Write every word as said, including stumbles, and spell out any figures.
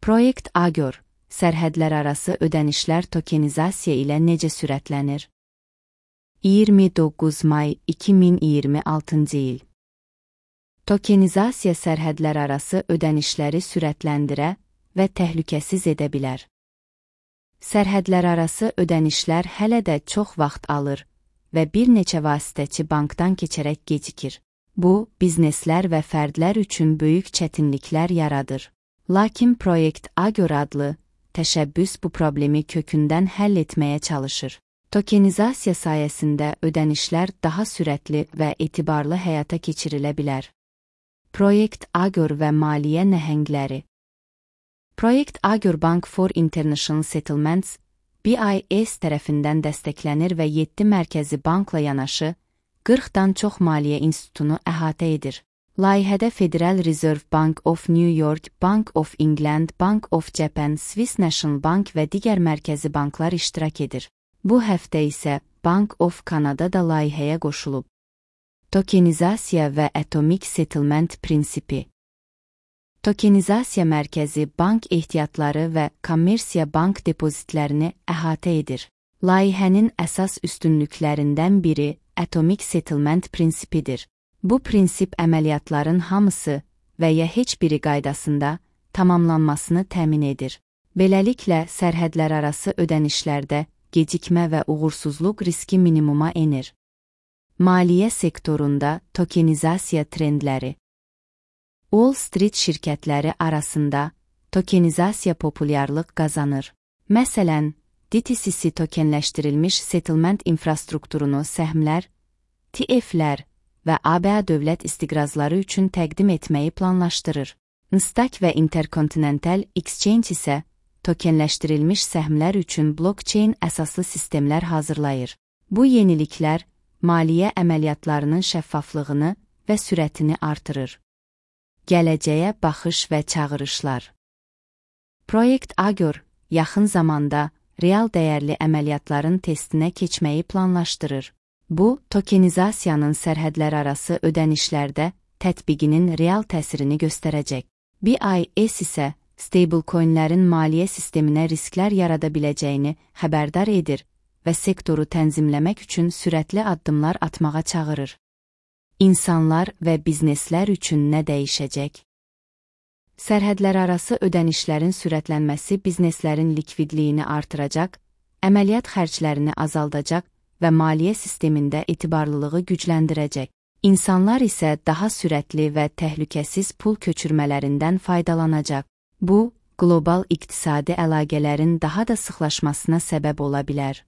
Proyekt Agör, sərhədlərarası ödənişlər tokenizasiya ilə necə sürətlənir? iyirmi doqquz may iki min iyirmi altıncı il. Tokenizasiya sərhədlərarası ödənişləri sürətləndirə və təhlükəsiz edə bilər. Sərhədlərarası ödənişlər hələ də çox vaxt alır və bir neçə vasitəçi bankdan keçərək gecikir. Bu, bizneslər və fərdlər üçün böyük çətinliklər yaradır. Lakin Proyekt Agör adlı təşəbbüs bu problemi kökündən həll etməyə çalışır. Tokenizasiya sayəsində ödənişlər daha sürətli və etibarlı həyata keçirilə bilər. Proyekt Agör və maliyyə nəhəngləri. Proyekt Agör Bank for International Settlements, B I S tərəfindən dəstəklənir və yeddi mərkəzi bankla yanaşı qırxdan çox maliyyə institutunu əhatə edir. Layihədə Federal Reserve Bank of New York, Bank of England, Bank of Japan, Swiss National Bank və digər mərkəzi banklar iştirak edir. Bu həftə isə Bank of Canada da layihəyə qoşulub. Tokenizasiya və Atomic Settlement prinsipi. Tokenizasiya mərkəzi bank ehtiyatları və kommersiya bank depozitlərini əhatə edir. Layihənin əsas üstünlüklərindən biri Atomic Settlement prinsipidir. Bu prinsip əməliyyatların hamısı və ya heç biri qaydasında tamamlanmasını təmin edir. Beləliklə, sərhədlərarası ödənişlərdə gecikmə və uğursuzluq riski minimuma enir. Maliyyə sektorunda tokenizasiya trendləri. Wall Street şirkətləri arasında tokenizasiya populyarlıq qazanır. Məsələn, D T C C tokenləşdirilmiş settlement infrastrukturunu səhmlər, T F'lər və A B A dövlət istiqrazları üçün təqdim etməyi planlaşdırır. Nasdaq və Intercontinental Exchange isə tokenləşdirilmiş səhmlər üçün blockchain əsaslı sistemlər hazırlayır. Bu yeniliklər maliyyə əməliyyatlarının şəffaflığını və sürətini artırır. Gələcəyə baxış və çağırışlar. Proyekt Agör yaxın zamanda real dəyərli əməliyyatların testinə keçməyi planlaşdırır. Bu, tokenizasiyanın sərhədlərarası ödənişlərdə tətbiqinin real təsirini göstərəcək. B I S isə stablecoinlərin maliyyə sisteminə risklər yarada biləcəyini xəbərdar edir və sektoru tənzimləmək üçün sürətli addımlar atmağa çağırır. İnsanlar və bizneslər üçün nə dəyişəcək? Sərhədlərarası ödənişlərin sürətlənməsi bizneslərin likvidliyini artıracaq, əməliyyat xərclərini azaldacaq və maliyyə sistemində etibarlılığı gücləndirəcək. İnsanlar isə daha sürətli və təhlükəsiz pul köçürmələrindən faydalanacaq. Bu, qlobal iqtisadi əlaqələrin daha da sıxlaşmasına səbəb ola bilər.